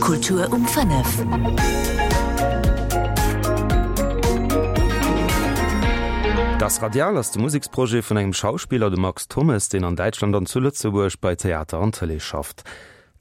Kultur um 5. Das Radial ass de Museksprojet vun engem Schauspiller, dem Max Thommes, deen an Däitschland an zu Lëtzebuerg bei Theater an Tëlee schafft.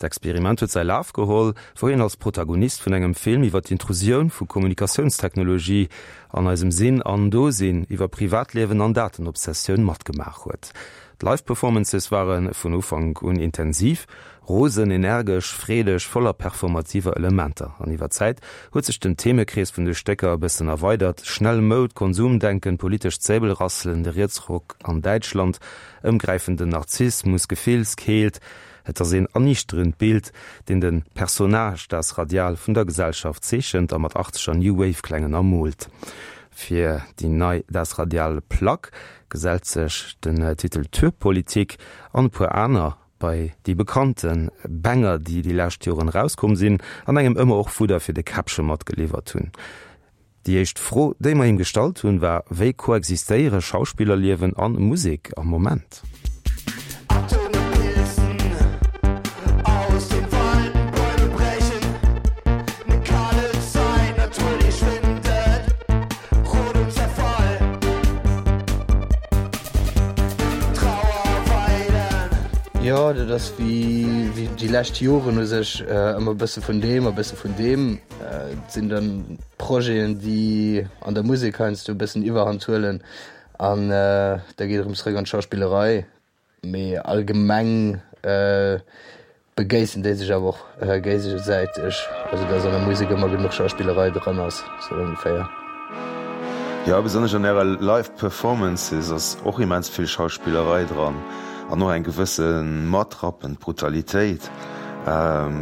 D'Experiment huet säi Laf geholl, wou hien als Protagonist vun engem Film iwwer d'Intrusioun vu Kommunikatiounstechnologie an eisem Sinn an Dosinn, iwwer Privatliewen an Datenobsessioun matgemaach huet. D'Live-Performances ware vun Ufank un intensiv, rosen, energesch, freedeg, voller performativer Elementer. An iwwer d'Zäit huet sech den Themekrees vun de Stécker e bëssen erweidert, schnell Moud, Konsumdenken, politescht Säbelrasselen, de Rietsruck an Däitschland, ëmgräifenden Narzissmus, Gefillskeelt. Et ass een erniichterend Bild, deen de Personnage Das Radial vun der Gesellschaft zeechent a mat achtzeger New Wave Klängen ermoolt. Fir déi nei Das Radial Plack gesellt sech den Titel Türpolitik an e puer aner bei déi bekannte Banger, déi déi lescht Joren erauskomm sinn an engem ëmmer och Fudder fir de Käppche matgeliwwert hunn. Déi éischt Fro, déi mer him gestallt hunn, war, Wéi koexistéiere Schauspillerliewen an Musek am Moment? Jo, dat ass wéi déi lescht Joren u sech ëmmer e bësse vun deem a bësse vun deem. Et sinn dann Projeten, déi an der Musek heiansdo e bëssen Iwwerhand huelen an da geet erëm zeréck an d'Schauspillerei. Mee allgemeng begéissen déi sech awer och géigesäiteg, also dass an der Musek ëmmer genuch Schauspillerei dran ass, sou ongeféier. Jo, besonnesch an ärer Live Performances ass och immens vill Schauspillerei dran an och eng gewësse matrappend Brutalitéit.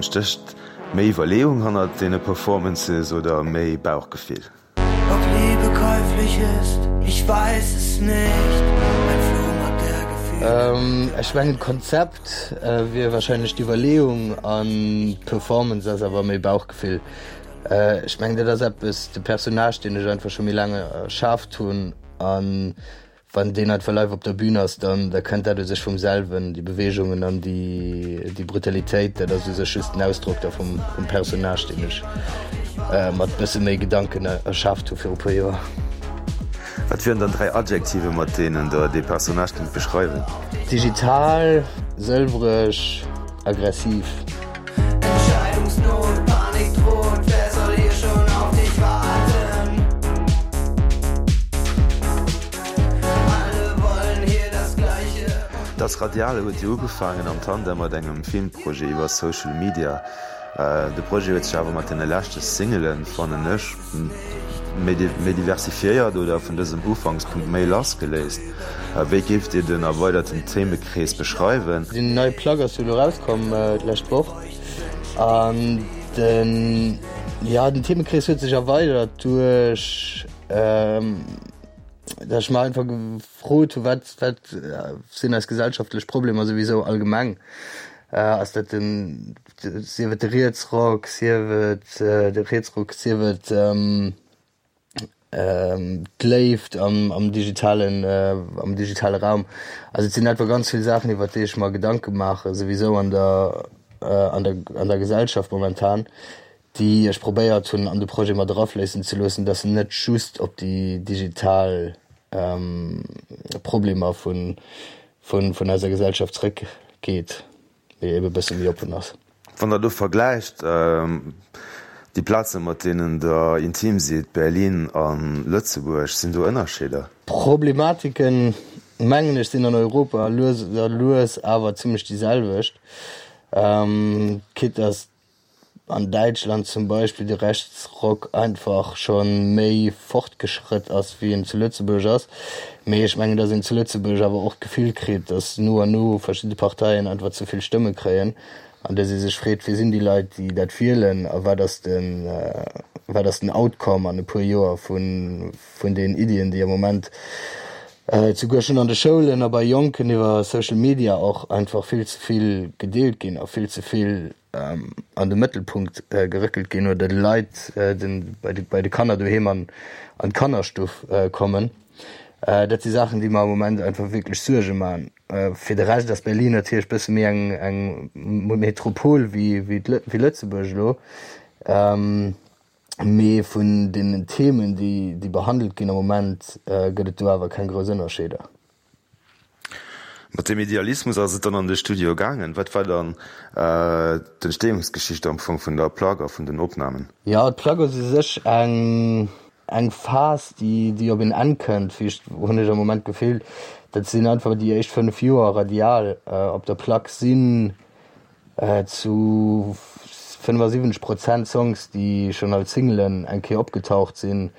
Stécht méi Iwwerleeung hannert deene Performances oder méi Bauchgefill? Ob Liebe käuflich ist, ich weiß es nicht, ein Flohmarkt der Gefühle. Ech mengen d'Konzept wier wahrscheinlech d'Iwwerleeung an d'Performance ass awer méi Bauchgefill. Ech mengen dat ass eppes, de Personnage deen ech einfach scho méi laang erschaaft hunn an Wann deen einfach live op der Bühn ass, dann da kënnt dat u sech vum selwen, déi Beweegungen an déi déi Brutalitéit, dat ass u sech just den Ausdrock da vum vum Personnage, deen ech mat bësse méi Gedanken erschaaft hu viru puer Joer. Wat wieren dann 3 Adjektive mat deenen der dee Personnage kéint beschreiwen? Digital, sëlwereg, aggressiv. Entscheidungsnot, Panik droht, wer soll hier schon auf dich warten? Alle wollen hier das Gleiche. Das Radiale huet jo ugefaangen am Tandem mat engem Filmprojet iwwer Social Media. De Projet huet sech awer mat deene leschte Singelen, fannen ech, méi diversifiéiert oder vun dësem Ufankspunkt méi lass geléist. Wéi géift Dir den erweiderten Themekrees beschreiwen? Déi nei Plack ass jo elo erauskomm d'lescht Woch an den, jo, den Themekrees huet sech erweidert duerch datt ech mer einfach gefrot hu wat wat sinn eis gesellschaftlech Problemer souwisou allgemeng. Ass dat den sief et de Rietsrock, sief et de Rietsruck, sief et d'Léift am digitalen, am digitale Raum. Also et sinn einfach ganz vill Saachen, iwwer déi ech mer Gedanke maache souwisou an der, an der, an der Gesellschaft momentan, déi ech probéiert hunn an de Projet mat erafléissen ze loossen, dass en net just op déi digital Problemer vun, vun eiser Gesellschaft zrëckgeet. Mee ebe bësse méi oppen ass. Wann der do vergläicht déi Plaze mat deenen der intim sidd, Berlin a Lëtzebuerg, sinn do Ënnerscheeder? D'Problematiken, mengen ech, sinn an Europa lues a lues awer zimlech déi selwecht. Quitte dass an Däitschland zum Beispill de Rechtsrock einfach scho méi fortgeschrëtt ass, wéi en zu Lëtzebuerg ass. Mee ech mengen, datt een zu Lëtzebuerg awer och d'Gefill kritt, datt no an no verschidde Parteien einfach ze vill Stëmme kréien an datt ee sech freet, Wie sinn déi Leit, déi dat wielen a wat ass den, wat ass den Outcome an e puer Joer vun, vun den Iddien, déi am Moment souguer schonn an de Schoulen a bei Jonken iwwer Social Media och einfach vill ze vill gedeelt ginn a vill ze vill an de Mëttelpunkt geréckelt ginn oder de Leit bei de Kanner doheem an d'Kannerstuff kommen. Dat si Saachen, déi mer am Moment einfach wierklech Suerge maachen. Fir de Rescht ass Berlin natierlech bësse méi eng eng Metropol wéi wéi Lëtzebuerg elo. Mee vun den Themen, déi déi behandelt ginn am Moment, gëtt et do awer keng grouss Ënnerscheeder. Mat deem Idealismus ass et dann an de Studio gaangen. Wat war dann d'Entstehungsgeschicht am Fong vun der Plack a vun den Opnamen? Jo, d'Plack ass u sech eng eng Phas, déi déi op een Enn kënnt, wéi ech, hunn ech am Moment d'Gefill. Dat sinn einfach déi éischt 5 Joer Radial op der Plack sinn zu 75 Prozent Songs, déi schonn als Singlen eng Kéier opgetaucht sinn,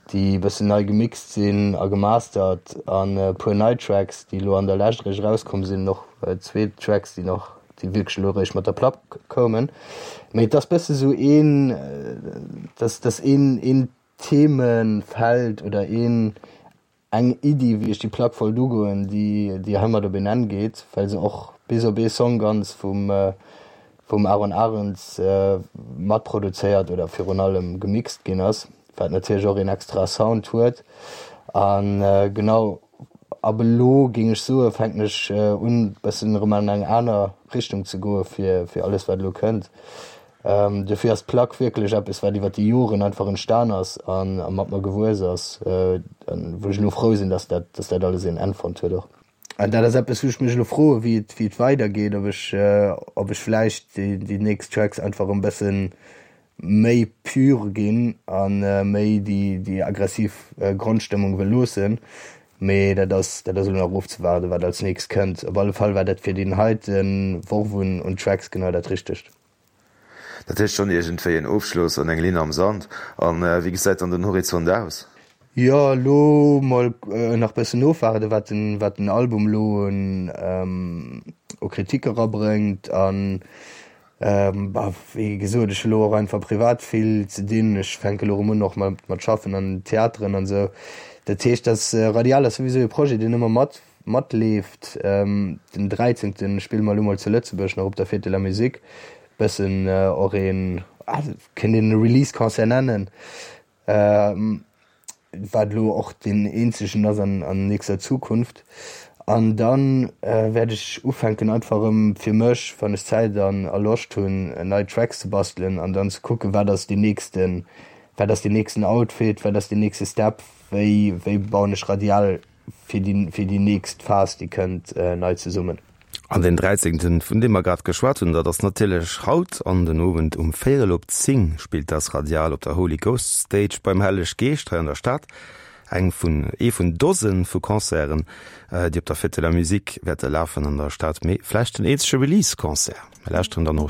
déi e bëssen nei gemixt sinn a gemastert an e puer nei Tracks, déi elo an der Lescht eréischt erauskomm sinn, och zwee Tracks, déi nach, déi wierklech elo eréischt mat der Plack koumen. Mee et ass bësse sou een, dass dass een een Themenfeld oder een eng Iddi, wéi ech déi Plack wollt ugoen, déi déi heimat op een Enn geet, well se och bis op ee Song ganz vum vum Aaron Arends matproduzéiert oder virun allem gemixt ginn ass, wat natierlech och een extra Sound huet. A genau ab elo, géing ech soen, fänken ech un bëssen erëm an eng aner Richtung ze goe fir fir alles wat elo kënnt. Dofir ass d'Plack wierklech eppes wat iwwer déi Joren einfach entstan ass a mat mer gewuess ass, wou ech elo frou sinn, dass dat dass dat alles een Enn fonnt huet och. An dat ass eppes, wou ech mech elo froen, wéi et, wéi et weidergeet, ob ech, ob ech vläicht déi, déi nächst Tracks einfach e bësse méi pur ginn a méi déi, déi aggressiv Grondstëmmung wëll loossen. Mee dat ass, dat ass elo nach ofzewaarden, wat als nächst kënnt. Op alle Fall war dat fir deen heite Worf un, un Tracks genau dat Richtegt. Dat heescht schonn iergendwéi en Ofschloss an eng Linn am Sand. An wéi gesäit dann den Horizont aus? Jo, elo mol nach bëssen ofwaarden, wat den, wat den Album elo un u Kritik erabrëngt. An bah, wéi gesot, ech hu lo och einfach privat vill ze dinn. Ech fänke lo erëm un och mat mat schaffen an Theateren an esou. Dat heescht, dass Radial ass souwisou e Projet, deen ëmmer mat Matleeft. Den 13. Spille mer elo mol zu Lëtzebuerg nach op der Fête de la Musique. Bëssen och een, kéint een e Release-Concert nennen, wat elo och deen eenzegen ass an nächster Zukunft. An da wäert ech ufänken einfach erëm fir mech, wann ech Zäit an a Loscht hunn, nei Tracks ze bastelen an dann ze kucken, wat ass deen nächsten, wat ass deen nächsten Outfit, wat ass deen nächste Step, wéi wéi bauen ech Radial fir déi, fir déi nächst Phas, déi kënnt, nei zesummen. An deen 13. vun deem mer grad geschwat hunn, dat ass natierlech haut an den Owend um véierel op 10 spillt das Radial op der Holy Ghost Stage beim Helleg Geescht hei an der Stad. Eng vun, ee vun Dose vu Concerten, déi op der Fête de la Musique wäerte lafen an der Stad, mee vläicht den eenzege Release-Concert. Mir lauschteren dann och.